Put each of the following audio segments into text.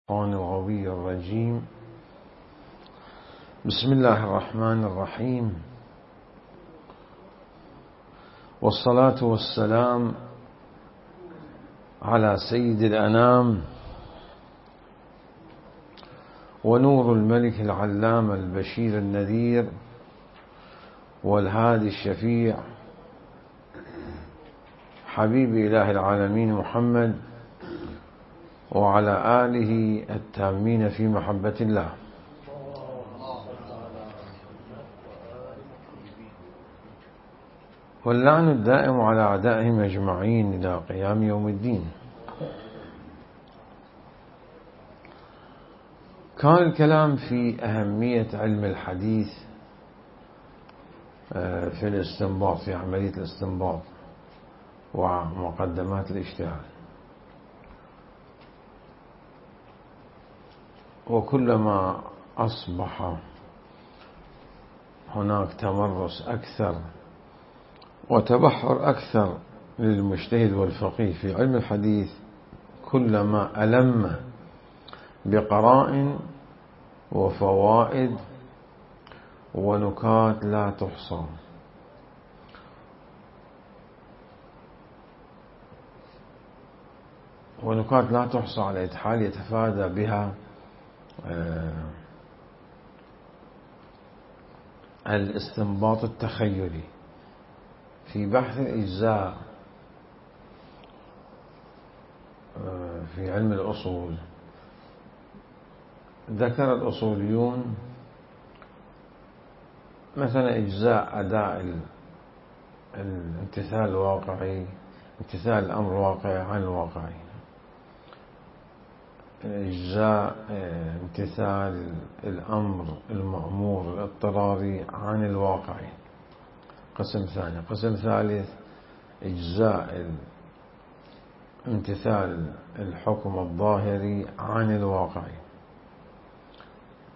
الشيطان الغوي الرجيم. بسم الله الرحمن الرحيم، والصلاة والسلام على سيد الأنام ونور الملك العلام البشير النذير والهادي الشفيع حبيب إله العالمين محمد وعلى آله التامين في محبة الله. واللعن الدائم على أعدائهم أجمعين إلى قيام يوم الدين. كان الكلام في أهمية علم الحديث في الاستنباط، في عملية الاستنباط ومقدمات الاجتهاد. وكلما أصبح هناك تمرس أكثر وتبحر أكثر للمجتهد والفقيه في علم الحديث، كلما ألم بقرائن وفوائد ونكات لا تحصى. ونكات لا تحصى على أي حال يتفادى بها الاستنباط التخيلي. في بحث الإجزاء في علم الأصول ذكر الأصوليون مثلا إجزاء أداء الامتثال الواقعي، امتثال الأمر الواقعي عن الواقعي، إجزاء امتثال الأمر المأمور الاضطراري عن الواقعي، قسم ثاني. قسم ثالث إجزاء امتثال الحكم الظاهري عن الواقعي.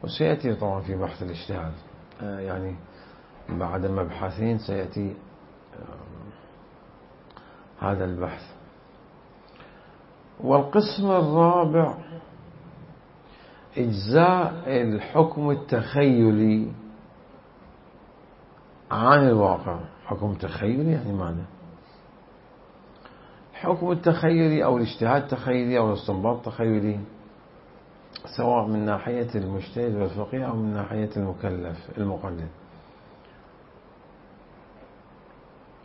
وسيأتي طبعا في بحث الاجتهاد، يعني بعد مبحثين سيأتي هذا البحث. والقسم الرابع إجزاء الحكم التخيلي عن الواقع. حكم تخيلي يعني ماذا؟ الحكم التخيلي أو الاجتهاد التخيلي أو الاستنباط التخيلي، سواء من ناحية المجتهد والفقيه أو من ناحية المكلف المقلد،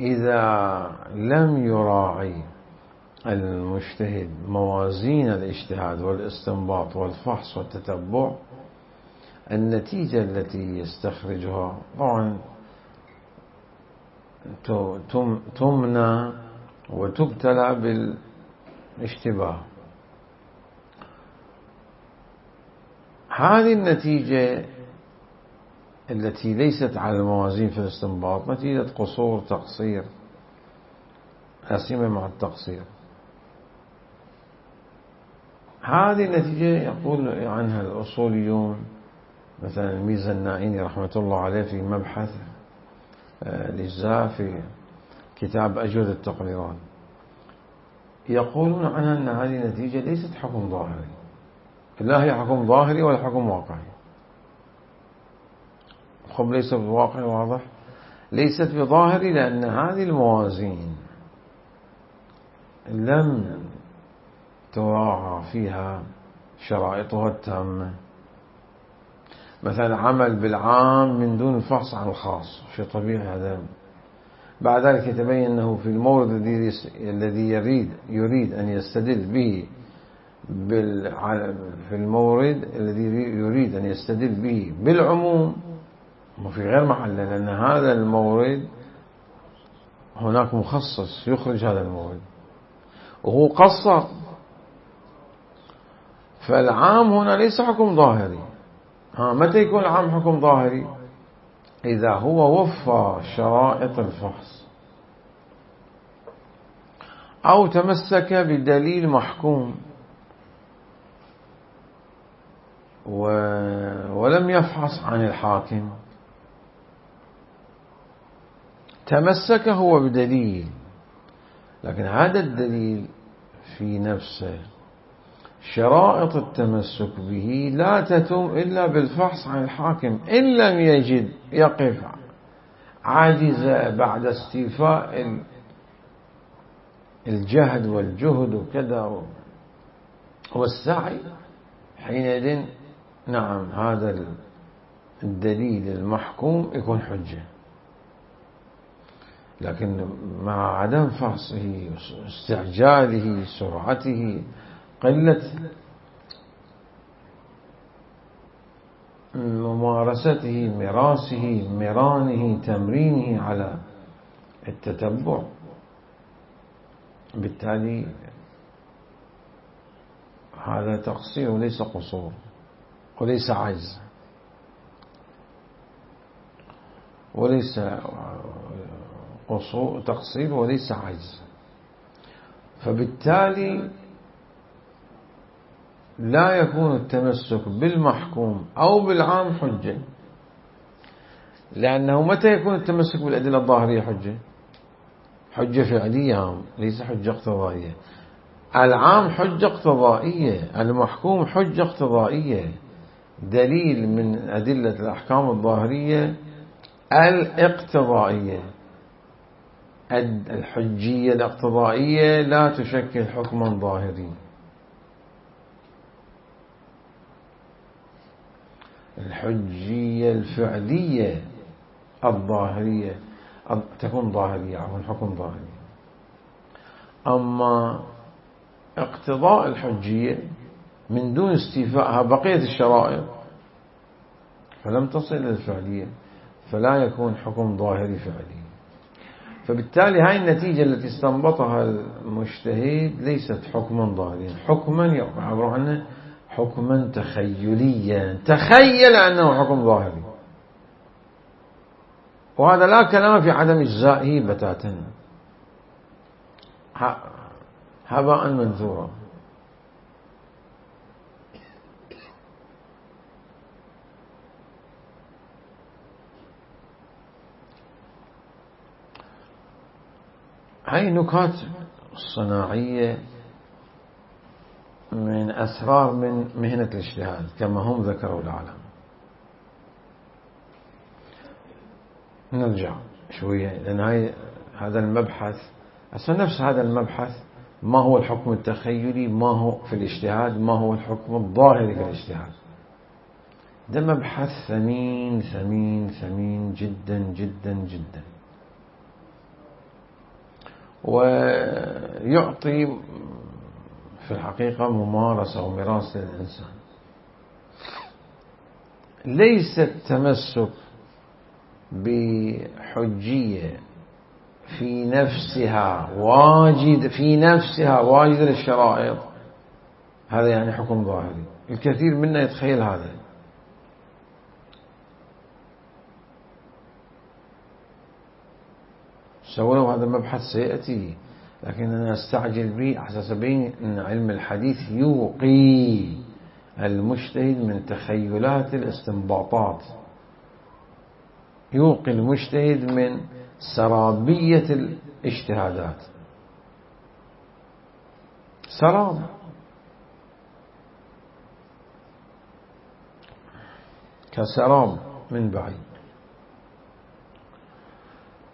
إذا لم يراعي المجتهد موازين الاجتهاد والاستنباط والفحص والتتبع، النتيجة التي يستخرجها طبعا تمنى وتبتلى بالاشتباه. هذه النتيجة التي ليست على الموازين في الاستنباط نتيجة قصور تقصير، لا سيما مع التقصير. هذه النتيجة يقول عنها الأصوليون، مثلا الميزانائي رحمة الله عليه في مبحث الإجزاء في كتاب أجود التقريرات، يقولون عنها أن هذه النتيجة ليست حكم ظاهري، لا هي حكم ظاهري ولا حكم واقعي. خب ليس بواقعي، واضح، ليست بظاهري، لأن هذه الموازين لم تراعى فيها شرائطها التامة. مثلا عمل بالعام من دون الفحص عن الخاص، شيء طبيعي هذا. بعد ذلك يتبين أنه في المورد الذي يريد أن يستدل به في المورد الذي يريد أن يستدل به بالعموم وفي غير محله، لأن هذا المورد هناك مخصص يخرج هذا المورد وهو قصر. فالعام هنا ليس حكم ظاهري. متى يكون العام حكم ظاهري؟ إذا هو وفى شرائط الفحص أو تمسك بدليل محكوم ولم يفحص عن الحاكم. تمسك هو بدليل، لكن هذا الدليل في نفسه شرائط التمسك به لا تتم إلا بالفحص عن الحاكم، إن لم يجد يقف عاجز بعد استيفاء الجهد والجهد وكذا والسعي، حينئذ نعم هذا الدليل المحكوم يكون حجة. لكن مع عدم فحصه، استعجاله، سرعته، قلة ممارسته، مراسه، مرانه، تمرينه على التتبع، بالتالي هذا تقصير وليس قصور وليس عجز وليس قصور، تقصير وليس عجز. فبالتالي لا يكون التمسك بالمحكوم أو بالعام حجة، لأنه متى يكون التمسك بالأدلة الظاهرية حجة؟ حجة فعلية، ليس حجة اقتضائية. العام حجة اقتضائية، المحكوم حجة اقتضائية، دليل من أدلة الأحكام الظاهرية الاقتضائية. الحجية الاقتضائية لا تشكل حكما ظاهري. الحجية الفعلية الظاهرية تكون ظاهرية، عفوا حكم ظاهري. أما اقتضاء الحجية من دون استيفائها بقية الشرائط فلم تصل إلى الفعلية، فلا يكون حكم ظاهري فعلي. فبالتالي هاي النتيجة التي استنبطها المجتهد ليست حكما ظاهريا، حكما يعبر عنه حكما تخيليا، تخيل أنه حكم ظاهري، وهذا لا كلام في عدم إجزائه بتاتا، هباء منثورا. هاي نكات صناعية من أسرار من مهنة الاجتهاد كما هم ذكروا العالم. نرجع شوية، لأن هذا المبحث أصلا نفس هذا المبحث، ما هو الحكم التخيلي، ما هو في الاجتهاد، ما هو الحكم الظاهري في الاجتهاد. ده مبحث ثمين ثمين ثمين جدا جدا جدا، ويعطي في الحقيقة ممارسة ومراسة للإنسان. ليس التمسك بحجية في نفسها واجد للشرائط هذا يعني حكم ظاهري. الكثير منا يتخيل هذا، ولو هذا المبحث سيأتي، لكن أنا أستعجل به أحساس بين أن علم الحديث يوقي المجتهد من تخيلات الاستنباطات، يوقي المجتهد من سرابية الاجتهادات، سراب. كسراب من بعيد.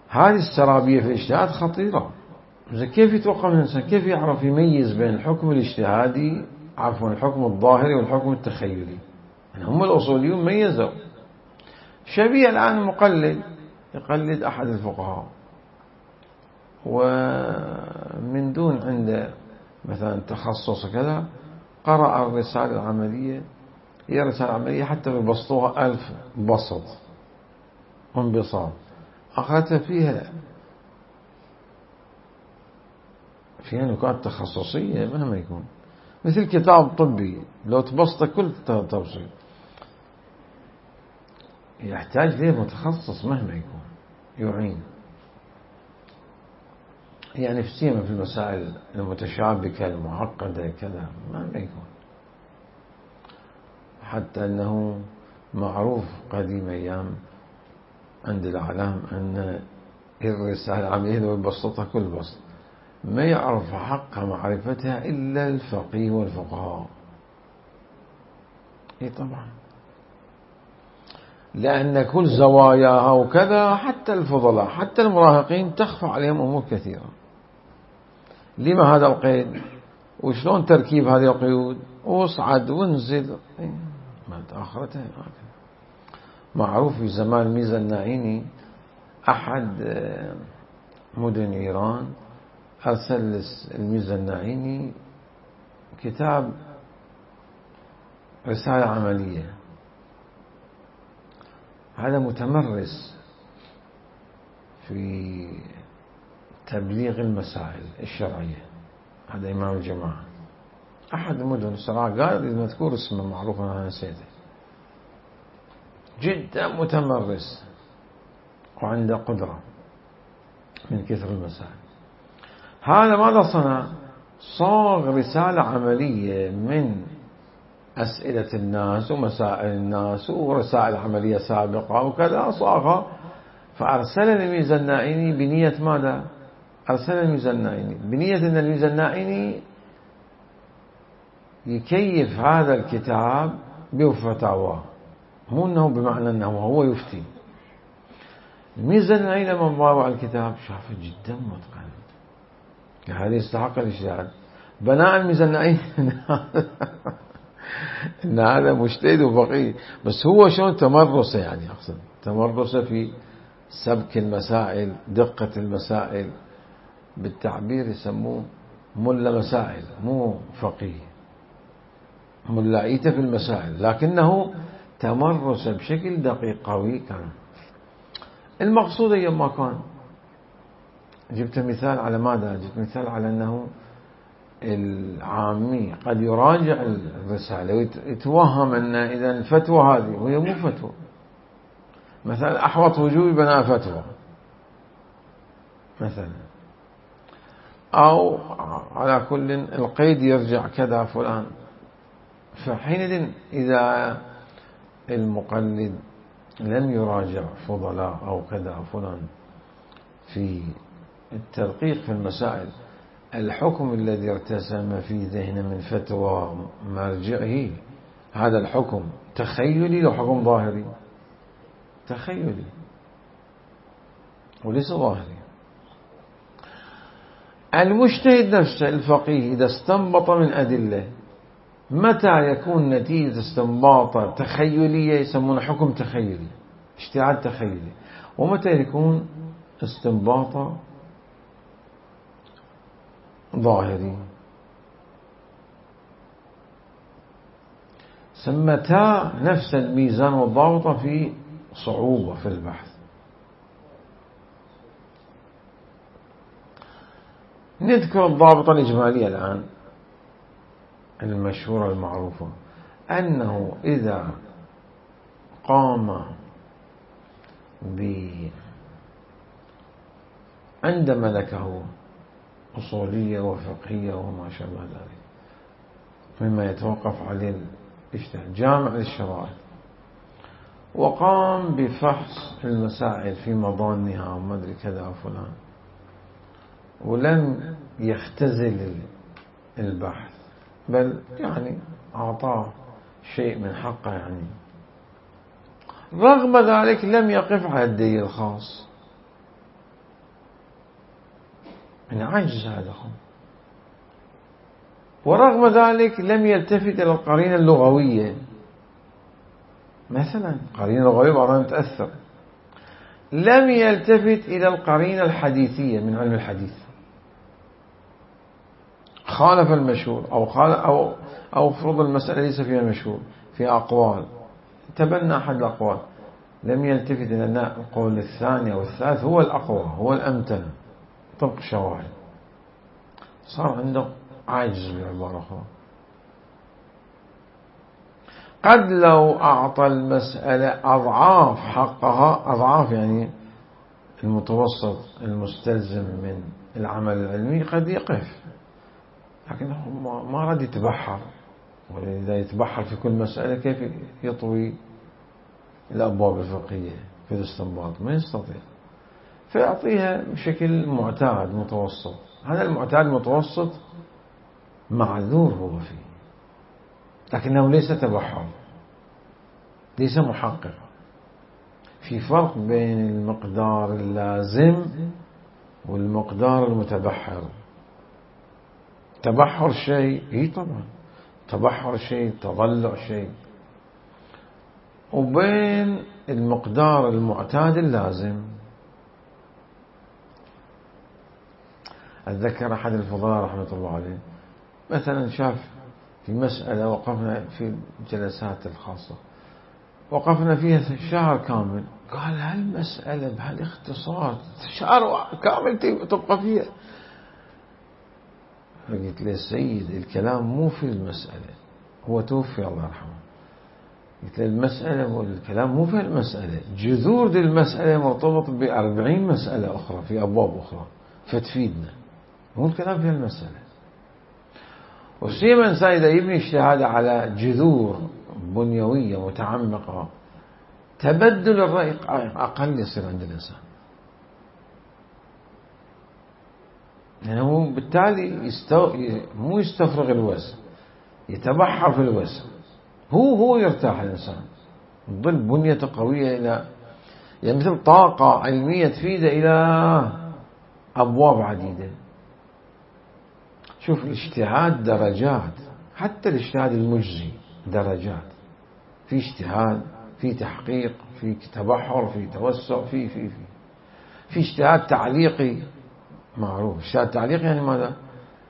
هذه السرابية في الاجتهاد خطيرة. كيف يتوقع من الإنسان، كيف يعرف يميز بين الحكم الاجتهادي، عفوا الحكم الظاهري والحكم التخيلي؟ يعني هم الأصوليون ميزوا. شبيه الآن مقلد يقلد أحد الفقهاء ومن دون عنده مثلا تخصص كذا، قرأ الرسالة العملية، هي رسالة عملية حتى ببسطوها 1000 بسط وانبساط، أخذت فيها نكات تخصصية مهما يكون، مثل كتاب طبي لو تبسط كل تبسيط يحتاج ليه متخصص مهما يكون يعين، يعني في سيما في المسائل المتشابكة المعقدة كذا مهما يكون. حتى أنه معروف قديم أيام عند الأعلام أن الرسالة العملية لو يبسطها كل بسط ما يعرف حق معرفتها إلا الفقيه والفقهاء. إيه طبعا، لأن كل زواياها وكذا، حتى الفضلاء حتى المراهقين تخفى عليهم أمور كثيرة. لما هذا القيد؟ وشلون تركيب هذه القيود؟ واصعد وانزل، ما آخرتها. معروف في زمان ميزة الناعيني أحد مدن إيران أرسل الميزة الناعيني كتاب رسالة عملية. هذا متمرس في تبليغ المسائل الشرعية، هذا إمام الجماعة أحد المدن الصراحة، قال إذا مذكور اسمه معروف أنا نسيته، جدا متمرس وعنده قدرة من كثر المسائل. هذا ماذا صنع؟ صاغ رسالة عملية من أسئلة الناس ومسائل الناس ورسائل عملية سابقة وكذا، صاغها فأرسل الميزة الناعيني بنية ماذا؟ أرسل الميزة الناعيني بنية أن الميزة الناعيني يكيف هذا الكتاب بفتاواه، مو أنه بمعنى أنه هو يفتي. الميزة الناعيني لما ضاوع الكتاب شافه جدا متقن، هذا يستحق الاجتهاد. بناء الميزة الناعيني إن هذا مجتهد وفقيه، بس هو شلون تمرسه، يعني أقصد تمرسه في سبك المسائل، دقة المسائل، بالتعبير يسموه ملا مسائل، مو فقيه، ملاعيته في المسائل، لكنه تمرس بشكل دقيق قوي كان. المقصود أيما كان، جبت مثال على ماذا؟ جبت مثال على أنه العامي قد يراجع الرسالة ويتوهم أن إذا الفتوى هذه وهي مو فتوى، مثلا أحوط وجوب بناء فتوى مثلا، أو على كل القيد يرجع كذا فلان. فحينئذ إذا المقلد لم يراجع فضلاء أو كذا فلان في التدقيق في المسائل، الحكم الذي ارتسم في ذهنه من فتوى مرجعه، هذا الحكم تخيلي لو حكم ظاهري، تخيلي وليس ظاهري. المجتهد نفسه الفقيه إذا استنبط من أدلة، متى يكون نتيجة استنباطه تخيلية يسمونه حكم تخيلي، اجتهاد تخيلي، ومتى يكون استنباطه ظاهري. سمتا نفس الميزان والضابطة في صعوبة في البحث. نذكر الضابطة الإجمالية الآن المشهورة المعروفة، أنه إذا قام عند ملكه أصولية وفقهية وما شابه ذلك مما يتوقف عليه الاجتهاد، جامع للشرائع، وقام بفحص المسائل في مضانها وما أدري كذا فلان، ولم يختزل البحث بل يعني أعطاه شيء من حقه، يعني رغم ذلك لم يقف على الدليل الخاص، من عجز هذا، ورغم ذلك لم يلتفت إلى القرينة اللغوية، مثلا قرينة لغوية بعضها متأثر، لم يلتفت إلى القرينة الحديثية من علم الحديث، خالف المشهور أو فرض المسألة ليس فيها مشهور، فيها أقوال، تبنى أحد الأقوال، لم يلتفت إلى أن القول الثاني أو الثالث هو الأقوى هو الأمتن طبق الشواهد، صار عنده عاجز بعبارة أخرى. قد لو أعطى المسألة أضعاف حقها، أضعاف يعني المتوسط المستلزم من العمل العلمي، قد يقف، لكنه ما رد يتبحر، وإذا يتبحر في كل مسألة كيف يطوي الأبواب الفقهية في الاستنباط؟ ما يستطيع، فيعطيها بشكل معتاد متوسط هذا المعتاد المتوسط معذور هو فيه، لكنه ليس تبحر، ليس محقق. في فرق بين المقدار اللازم والمقدار المتبحر. تبحر شيء، طبعا تبحر شيء، تضلع شيء، وبين المقدار المعتاد اللازم. أتذكر أحد الفضلاء رحمة الله عليه مثلا شاف في مسألة، وقفنا في الجلسات الخاصة وقفنا فيها شهر كامل، قال هالمسألة بهالاختصار شهر كامل تبقى فيها. فقلت له سيد الكلام مو في المسألة، هو توفي الله يرحمه. قلت له المسألة والكلام مو في المسألة، جذور دي المسألة مرتبط ب40 مسألة أخرى في أبواب أخرى فتفيدنا، مو الكلام في المسألة. وسيما الإنسان إذا يبني اجتهاده على جذور بنيوية متعمقة، تبدل الرأي أقل يصير عند الإنسان، يعني هو بالتالي مو يستفرغ الوسع، يتبحر في الوسع، هو يرتاح الإنسان، تظل بنيته قوية إلى يعني مثل طاقة علمية تفيده إلى أبواب عديدة. شوف الاجتهاد درجات، حتى الاجتهاد المجزي درجات، في اجتهاد، في تحقيق، في تبحر، في توسع، في اجتهاد تعليقي معروف. اجتهاد تعليقي يعني ماذا؟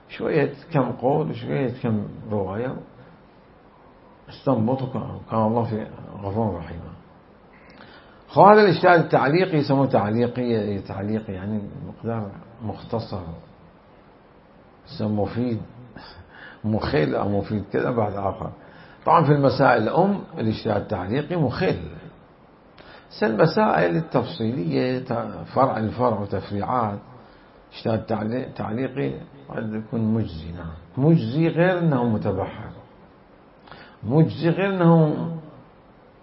شوية كم قول وشوية كم رواية استنبطوا، كان الله في غفور رحيم. هذا الاجتهاد التعليقي يسموه تعليقي يعني مقدار مختصر، مفيد، مخل أو مفيد كذا بعد آخر. طبعا في المسائل الاجتهاد التعليقي مخل. المسائل التفصيلية فرع الفرع وتفريعات اجتهاد تعليقي قد يكون مجزي. نعم مجزي، غير أنه متبحر، مجزي غير أنه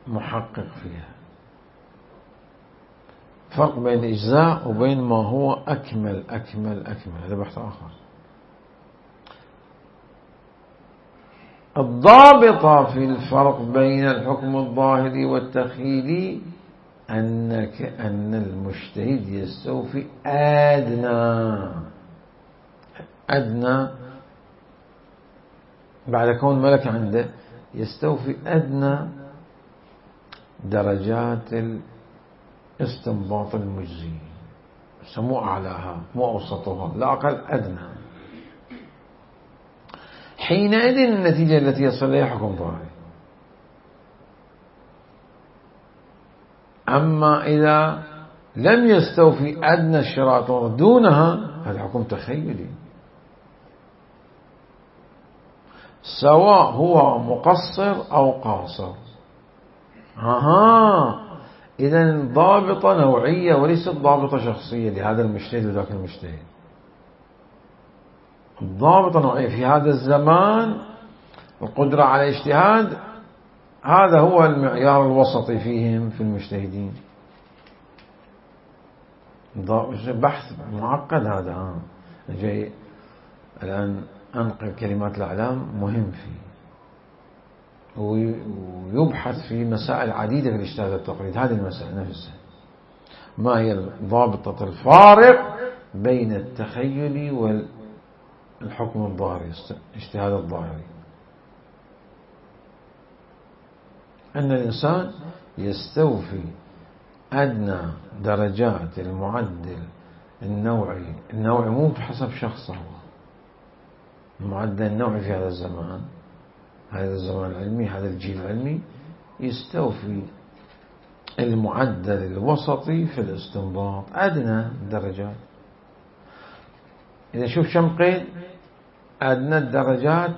محقق فيها. فرق بين الإجزاء وبين ما هو أكمل، هذا بحث آخر. الضابطة في الفرق بين الحكم الظاهري والتخيلي أن المجتهد يستوفي أدنى بعد كون ملك عنده، يستوفي أدنى درجات الاستنباط المجزي، مو أعلاها مو أوسطها، لا أقل أدنى. حينئذ النتيجة التي يصل إليها حكم ظاهري. أما إذا لم يستوفي أدنى الشرائط دونها، هذا حكم تخيلي، سواء هو مقصر أو قاصر. إذا ضابطة نوعية وليست ضابطة شخصية لهذا المجتهد وذاك المجتهد. ضابطة نوعية في هذا الزمان، القدرة على الاجتهاد، هذا هو المعيار الوسطي فيهم في المجتهدين. بحث معقد هذا. جاي الآن أنقل كلمات الأعلام مهم فيه، ويبحث في مسائل عديدة في الاجتهاد والتقليد. هذه المسائل نفسها، ما هي ضابطة الفارق بين التخيل والحكم الظاهري، الاجتهاد الظاهري؟ أن الإنسان يستوفي أدنى درجات المعدل النوعي مو بحسب شخصه، المعدل النوعي في هذا الزمان، هذا الزمان العلمي، هذا الجيل العلمي، يستوفي المعدل الوسطي في الاستنباط، أدنى درجات. إذا شوف كم قيد، أدنى الدرجات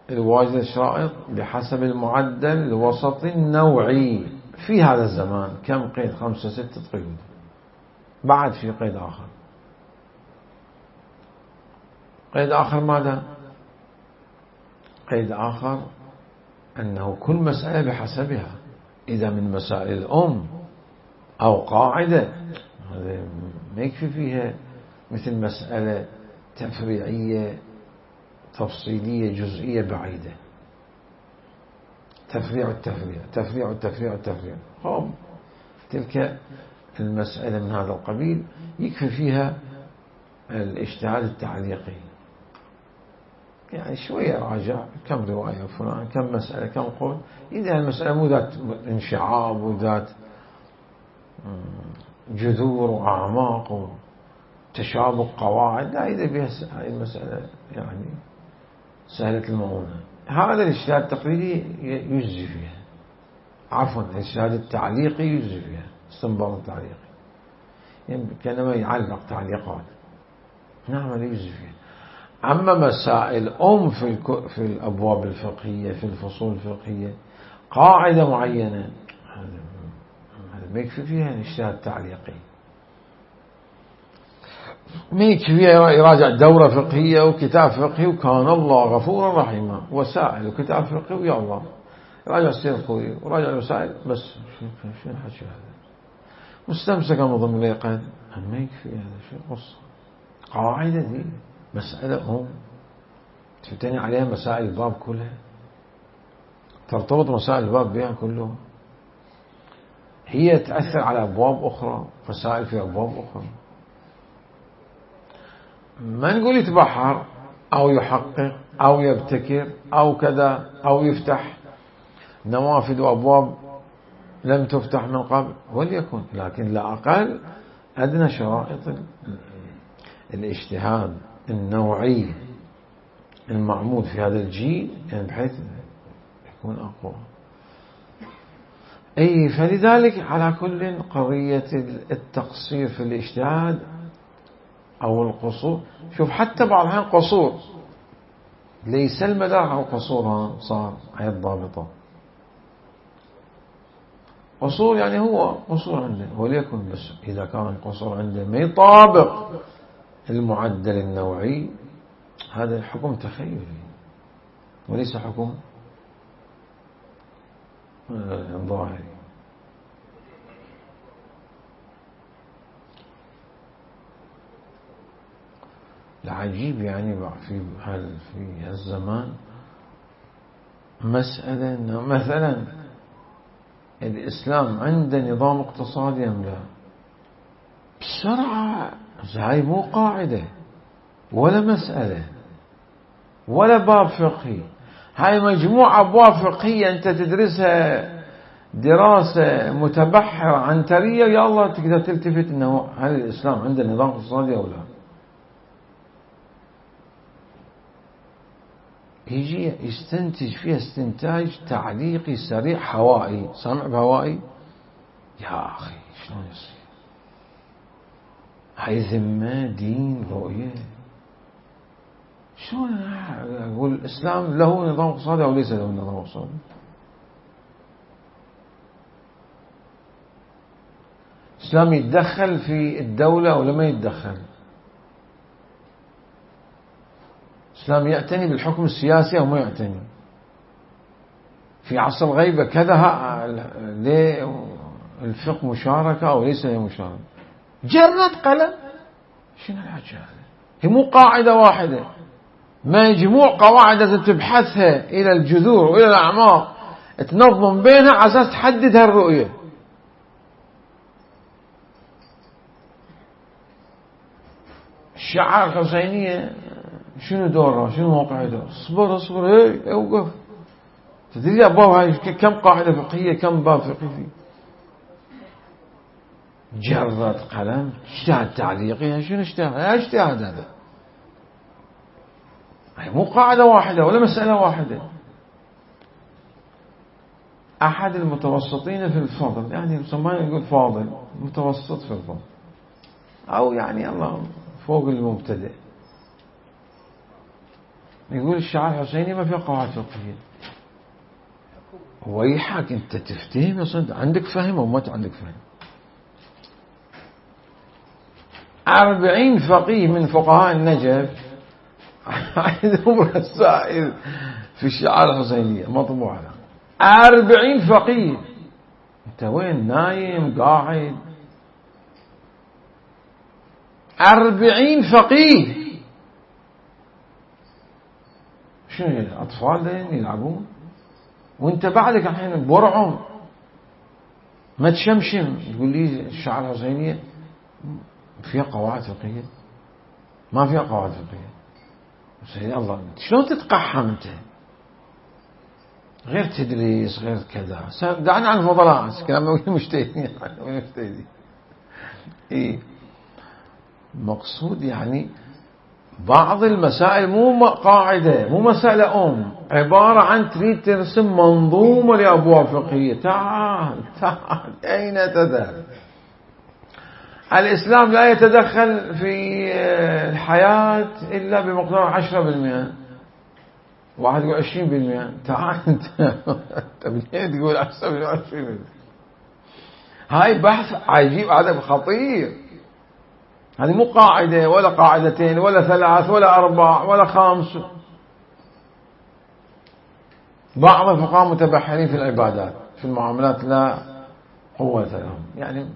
الواجد الشرائط بحسب المعدل الوسطي النوعي في هذا الزمان. كم قيد؟ 5 6 قيود. بعد في قيد آخر. قيد آخر ماذا؟ قيد آخر أنه كل مسألة بحسبها. إذا من مسائل الأم أو قاعدة، هذا ما يكفي فيها مثل مسألة تفريعية تفصيلية جزئية بعيدة. تفريع. تلك المسألة من هذا القبيل يكفي فيها الاجتهاد التعليقي، يعني شوية راجع كم رواية فلان، كم مسألة، كم قول. إذا المسألة مو ذات انشعاب وذات جذور وأعماق وتشابك قواعد، لا، إذا بها هذه المسألة يعني سهلة المؤونة، هذا الاجتهاد التقليدي يجزي فيها، عفوا الاجتهاد التعليقي يجزي فيها، استنباط التعليقي يعني كانما يعلق تعليقات، نعم يجزي فيها. أما مسائل في الأبواب الفقهية، في الفصول الفقهية، قاعدة معينة، هذا ما يكفي فيها الاجتهاد التعليقي، ما يكفي فيها يراجع دورة فقهية وكتاب فقهي وكان الله غفورا رحيما وسائل وكتاب فقهي ويا الله، راجع السير الخوي وراجع الوسائل بس. شنو الحكي هذا؟ مستمسكا بضمن اليقين، ما يكفي هذا شيء قصة. قاعدة دي مسألة تفتني عليها مسائل الباب كلها، ترتبط مسائل الباب بها كلها، هي تأثر على أبواب أخرى، مسائل في أبواب أخرى. ما نقول يتبحر أو يحقق أو يبتكر أو كذا أو يفتح نوافذ وأبواب لم تفتح من قبل، وليكن، لكن لا أقل أدنى شرائط الاجتهاد النوعي المعمول في هذا الجيل، يعني بحيث يكون أقوى. فلذلك على كل قضية التقصير في الاجتهاد أو القصور، شوف حتى بعض الأحيان قصور ليس المدار أو قصورها صار هي الضابطة، قصور يعني هو قصور عنده، وليكن بس إذا كان القصور عنده ما يطابق المعدل النوعي، هذا حكم تخيلي وليس حكم ظاهري. العجيب يعني في هالزمان مسألة مثلا الإسلام عنده نظام اقتصادي أم لا؟ بسرعة، هاي مو قاعدة ولا مسألة ولا باب فقهي، هاي مجموعة أبواب فقهية أنت تدرسها دراسة متبحرة عنترية، يا الله تقدر تلتفت أنه هل الإسلام عنده نظام اقتصادي أو لا. يجي يستنتج فيها استنتاج تعليقي سريع هوائي، سامع بهوائي، يا أخي شلون يصير؟ هاي ذمة دين رؤية، شلون أقول الإسلام له نظام اقتصادي أو ليس له نظام اقتصادي؟ الإسلام يتدخل في الدولة أو لما يتدخل؟ الإسلام يعتني بالحكم السياسي أو ما يعتني؟ في عصر الغيبة كذا ليه الفقه مشاركة أو ليس له مشاركة؟ جرد قلم، شنو الحكي هذا؟ هي مو قاعدة واحدة، مجموع قواعد تبحثها إلى الجذور وإلى الأعماق، تنظم بينها على أساس تحدد هالرؤية. الشعائر الحسينية شنو دورها؟ شنو موقعها؟ اصبر اوقف، تدري أبواب هاي كم قاعدة فقهية، كم باب فقهي؟ جرد قلم، اجتهاد تعليقي، شنو اجتهاد هذا؟ هي مو قاعدة واحدة ولا مسألة واحدة. أحد المتوسطين في الفضل، يعني مسمى يقول فاضل، متوسط في الفضل، أو يعني الله فوق المبتدئ، يقول الشعائر الحسيني ما فيها قواعد فقهية. ويحك أنت تفتهم يا صدق، عندك فهم أو ما عندك فهم؟ 40 فقيه من فقهاء النجف عندهم رسائل في الشعائر الحسينية مطبوعة، 40 فقيه. أنت وين نايم قاعد؟ 40 فقيه شنو أطفال يلعبون وانت بعدك الحين بورعهم ما تشمشم تقول لي الشعر الحسينية فيها قواعد فقهية؟ ما فيها قواعد فقهية. سيدي الله شلون تتقحم انت؟ غير تدريس غير كذا. دعنا عن الفضلاء كلام مجتهدين إيه مقصود يعني بعض المسائل مو قاعدة مو مسألة عبارة عن تريد ترسم منظومة لأبواب فقهية. تعال أين تذهب؟ الإسلام لا يتدخل في الحياة إلا بمقدار 10%. واحد يقول 20%. تعال انت منين تقول 20%؟ هاي بحث عجيب هذا خطير. هذه مو قاعدة ولا قاعدتين ولا 3 ولا 4 ولا 5. بعض الفقهاء متبحرين في العبادات، في المعاملات لا قوة لهم، يعني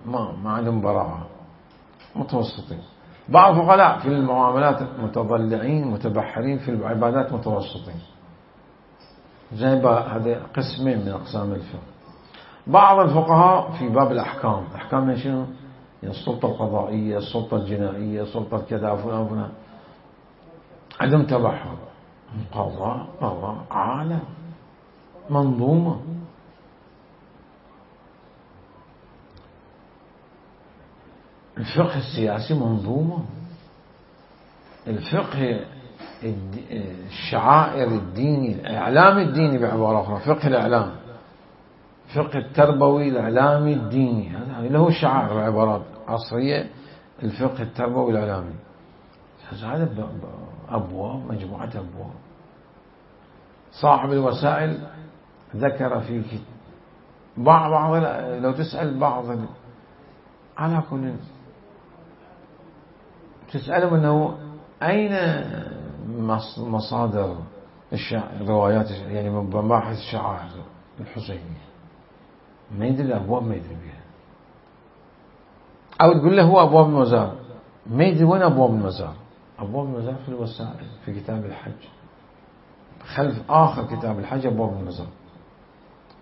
ما عندهم براعة، متوسطين. بعض الفقهاء في المعاملات متضلعين متبحرين، في العبادات متوسطين. زي هذه قسمين من أقسام الفقه. بعض الفقهاء في باب الأحكام، أحكام من شنو؟ يعني السلطة القضائية، السلطة الجنائية، السلطة كذا فلان عندهم تبحر. قضاء عالم منظومة. الفقه السياسي منظومة. الفقه الشعائر الديني، الإعلام الديني بعبارة أخرى، فقه الإعلام، فقه التربوي الإعلامي الديني، هذا اللي هو الشعائر بعبارات عصرية. الفقه التربوي الإعلامي هذا أبواب، مجموعة أبواب. صاحب الوسائل ذكر في بعض لو تسأل بعض على كل تسألهم أنه أين مصادر الروايات، يعني مباحث الشعائر الحسينية، ما يدري الأبواب، ما يدري بها. أو تقول له هو أبواب المزار، ما يدري وين أبواب المزار. أبواب المزار في الوسائل، في كتاب الحج، خلف آخر كتاب الحج أبواب المزار،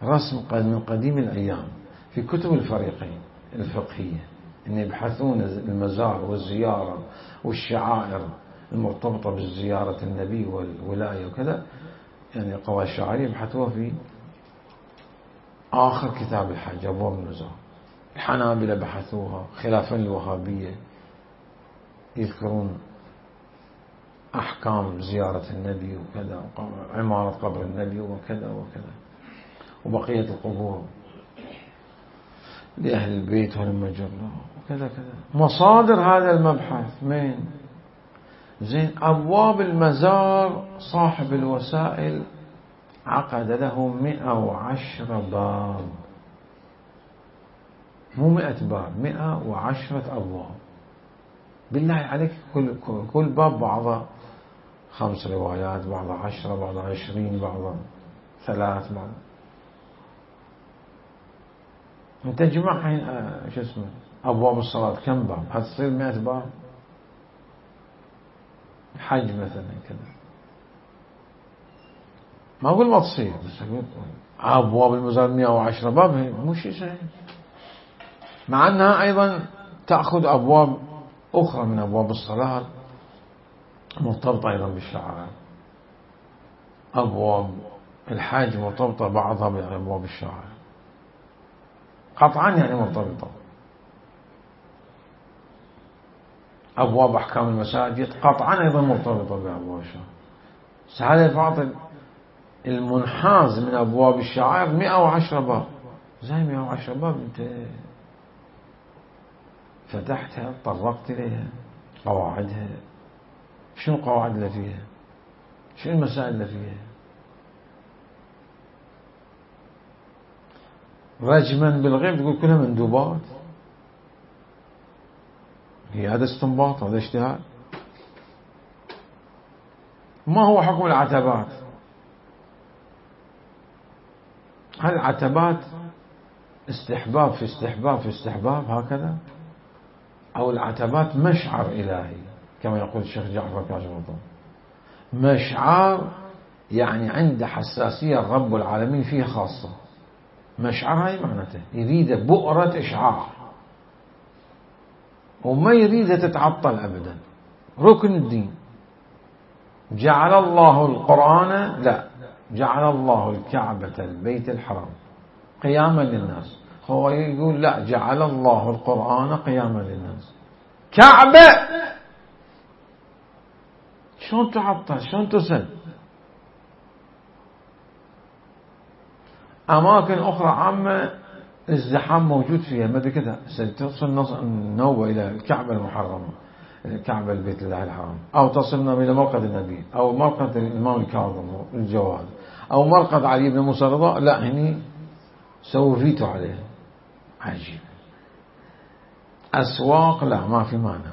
رسم من قديم الأيام في كتب الفريقين الفقهية، أن يبحثون المزار والزيارة والشعائر المرتبطة بالزيارة النبي والولاية وكذا، يعني قواعد الشعائر يبحثوها في آخر كتاب الحج أبواب المزار. الحنابلة بحثوها خلافا للوهابية، يذكرون أحكام زيارة النبي وكذا، عمارة قبر النبي وكذا وكذا، وبقية القبور لأهل البيت والمجر وكذا كذا. مصادر هذا المبحث من زين أبواب المزار، صاحب الوسائل عقد له 110 باب، مو 100 باب، 110 أبواب. بالله عليك كل باب بعضه 5 روايات، بعضه 10، بعضه 20، بعضه 3، بعضه. انت جمع شو اسمه أبواب الصلاة كم باب؟ هتصير 100 باب. حج مثلا كذا، ما أقول ما تصير، بس أقول أبواب المزار 110 باب مو شيء سهل، مع أنها أيضا تأخذ أبواب أخرى من أبواب الصلاة مرتبطة أيضا بالشعائر. أبواب الحج مرتبطة بعضها بأبواب الشعائر قطعا، يعني مرتبطة. أبواب أحكام المساجد قطعا أيضا مرتبطة بأبواب الشعائر. هذا الفاضل المنحاز من أبواب الشعائر 110 باب. زي 110 باب أنت فتحتها، طرقت إليها، قواعدها، شنو القواعد اللي فيها، شنو المسائل اللي فيها. رجما بالغيب تقول كلها مندوبات، هي هذا استنباط، هذا اجتهاد. ما هو حكم العتبات؟ هل العتبات استحباب في استحباب في استحباب هكذا، أو العتبات مشعر إلهي كما يقول الشيخ جعفر كاشف الغطاء؟ مشعر يعني عنده حساسية رب العالمين فيه خاصة. مشعر هاي معناته يريد بؤرة إشعاع وما يريد تتعطل أبدا. ركن الدين. جعل الله القرآن، لا، جعل الله الكعبة البيت الحرام قياما للناس. هو يقول لا، جعل الله القرآن قياما للناس. كعبة شلون تعطل؟ شلون تسد؟ أماكن أخرى عامة الزحام موجود فيها، ما كذا تصل النوبة إلى الكعبة المحرمة، الكعبة البيت الله الحرام، أو تصلنا إلى مرقد النبي، أو مرقد الإمام الكاظم الجواد، أو مرقد علي بن موسى رضا، لا هني سووا فيتو عليه. عجيب. أسواق لا، ما في مانع،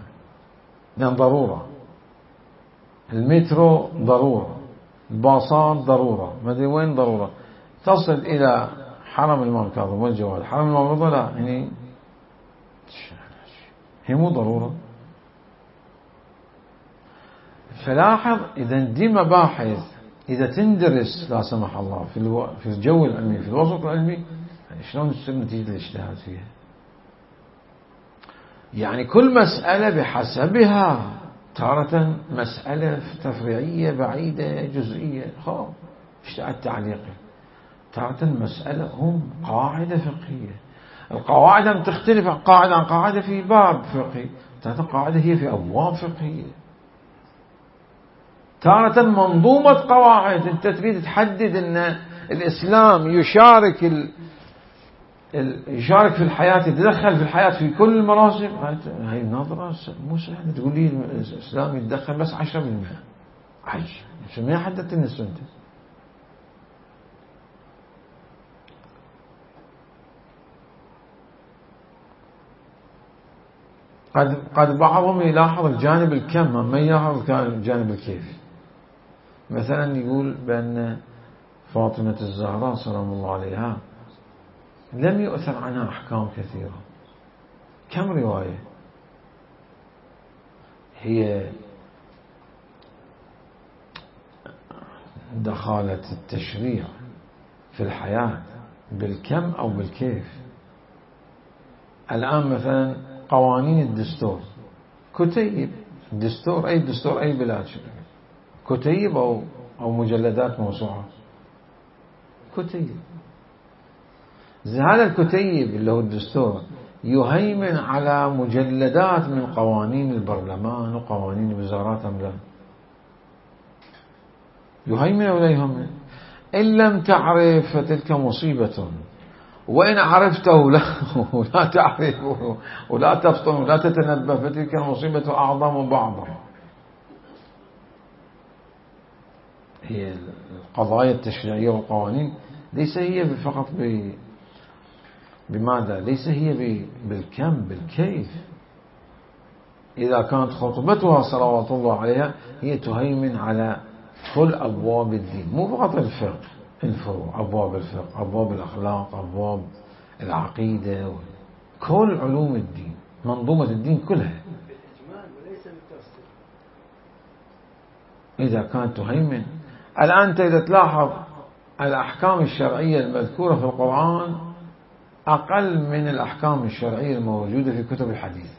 لأن ضرورة. المترو ضرورة، الباصات ضرورة، ما أدري وين ضرورة. تصل إلى حرم الإمام الكاظم والجواد، حرم الإمام رضا لا، هني هي مو ضرورة. فلاحظ إذا دي مباحث إذا تندرس لا سمح الله في الجو العلمي، في الوسط العلمي، شلون تصير نتيجة الاجتهاد فيها؟ يعني كل مسألة بحسبها. تارة مسألة تفريعية بعيدة جزئية اجتهاد تعليقي. تارة مسألة هم قاعدة فقهية. القواعد لم تختلف قاعدة عن قاعدة في باب فقهي، تارة قاعدة هي في أبواب فقهية. تارة منظومة قواعد. أنت تريد تحدد أن الإسلام يشارك في الحياة، يتدخل في الحياة في كل المراسم. هاي النظرة مو سهلة. تقول لي الإسلام يتدخل بس 10%. عجب. شو ما حددت النسبة أنت؟ قد بعضهم يلاحظ الجانب الكم ما يلاحظ الجانب الكيف. مثلا يقول بأن فاطمة الزهراء سلام الله عليها لم يؤثر عنها أحكام كثيرة. كم رواية هي دخلت التشريع في الحياة بالكم أو بالكيف. الآن مثلا قوانين الدستور، كتيب دستور، أي دستور أي بلاد، كتيب أو مجلدات موسوعة. كتيب. هذا الكتيب اللي هو الدستور يهيمن على مجلدات من قوانين البرلمان وقوانين الوزارات أم لا؟ يهيمن ولا يهيمن؟ إن لم تعرف فتلك مصيبة، وإن عرفته ولا تعرفه ولا تفطن ولا تتنبه فتلك المصيبة أعظم بعضا. هي القضايا التشريعية والقوانين ليس هي فقط بماذا؟ ليس هي بالكم، بالكيف. إذا كانت خطبتها صلوات الله عليها هي تهيمن على كل أبواب الدين، مو فقط الفقه، الفروع، أبواب الفقه، أبواب الأخلاق، أبواب العقيدة، كل علوم الدين، منظومة الدين كلها. إذا كانت تهيمن. الآن أنت إذا تلاحظ الأحكام الشرعية المذكورة في القرآن أقل من الأحكام الشرعية الموجودة في كتب الحديث.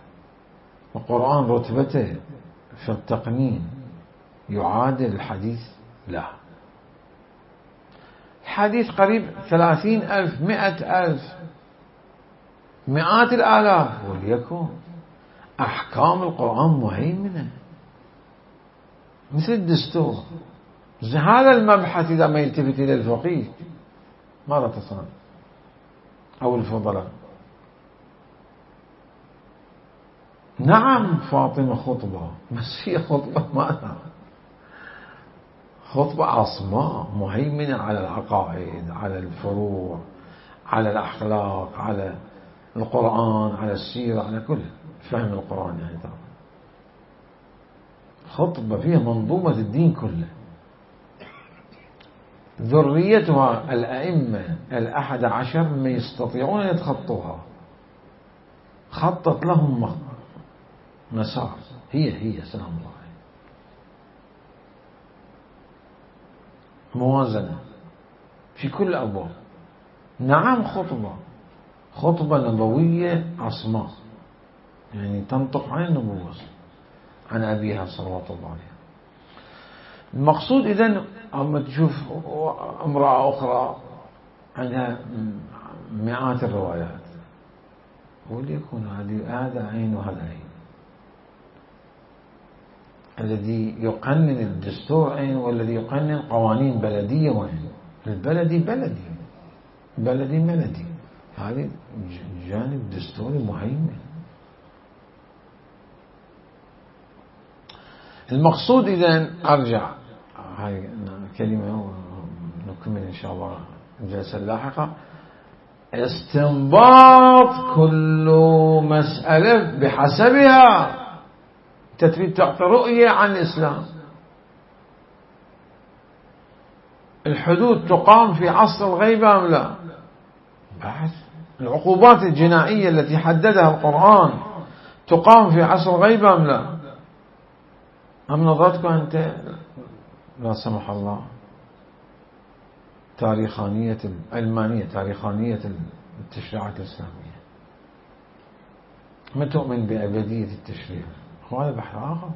القرآن رتبته في التقنين يعادل الحديث؟ لا. الحديث قريب 30,000 100,000 مئات الآلاف، وليكن أحكام القرآن مهيمنة مثل الدستور. هذا المبحث إذا ما يلتفت إلى الفقيه ماذا تصنع؟ أو الفضلاء. نعم فاطمة خطبة، بس هي خطبة ماذا؟ خطبة عصماء مهيمنة على العقائد، على الفروع، على الأخلاق، على القرآن، على السيرة، على كل فهم القرآن. يعني طبعا خطبة فيها منظومة الدين كله. ذريتها الأئمة 11 ما يستطيعون أن يتخطوها. خطت لهم مسار. هي سلام الله عليه. موازنة في كل الأبواب. نعم خطبة نبوية عصماء، يعني تنطق عن النبوة عن أبيها صلوات الله عليه. المقصود إذن أما تشوف امرأة أخرى عندها مئات الروايات، وليكن هذا عين وهذا عين. الذي يقنن الدستور عين، والذي يقنن قوانين بلدية وعين. البلدي بلدي هذا جانب دستوري مهيمن. المقصود إذن أرجع هاي كلمة نكمل إن شاء الله الجلسة اللاحقة. استنباط كل مسألة بحسبها. تريد تعطي رؤية عن الإسلام. الحدود تقام في عصر الغيبة أم لا؟ بحث. العقوبات الجنائية التي حددها القرآن تقام في عصر الغيبة أم لا؟ أم نظرتك أنت لا سمح الله تاريخانية العلمانية، تاريخانية التشريعات الإسلامية؟ ما تؤمن بأبدية التشريع؟ هذا بحث آخر.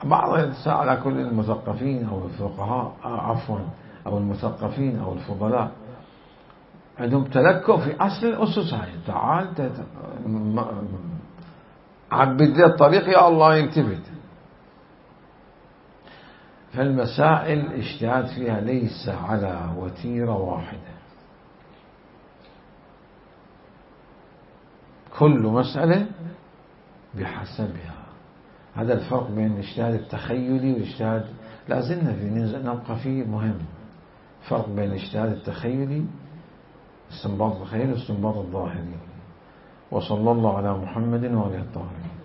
بعض يتساءل على كل المثقفين أو الفقهاء أو المثقفين أو الفضلاء عندهم تلكؤ في أصل الأسس هاي. تعال عبد لي الطريق يا الله يلتفت. فالمسائل اجتهاد فيها ليس على وتيرة واحدة، كل مسألة بحسبها. هذا الفرق بين الاجتهاد التخيلي والاجتهاد لازلنا نبقى فيه مهم. فرق بين الاجتهاد التخيلي استنباط الخير واستنباط الظاهري. وصلى الله على محمد وآله الطاهرين.